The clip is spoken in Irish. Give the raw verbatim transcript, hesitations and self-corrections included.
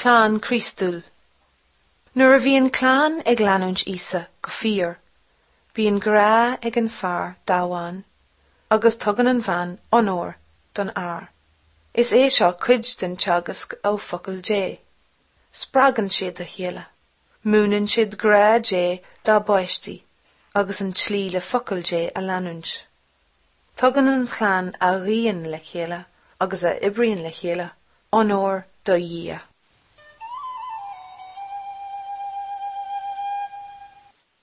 Clann Chríostúil. Nuair a bhíonn clann ag leanúint Íosa go fíor, bíonn grá ag an fear dá bhean, agus tugann an bhean onóir don fhear. Is é seo cuid den teagasc ó Focal Dé. Spreagann siad a chéile. Múineann siad grá Dé dá bpáistí agus an tslí le focal Dé a leanúint. Tugann an chlann a ghuíonn le chéile agus a oibríonn le chéile onóir do Dhia.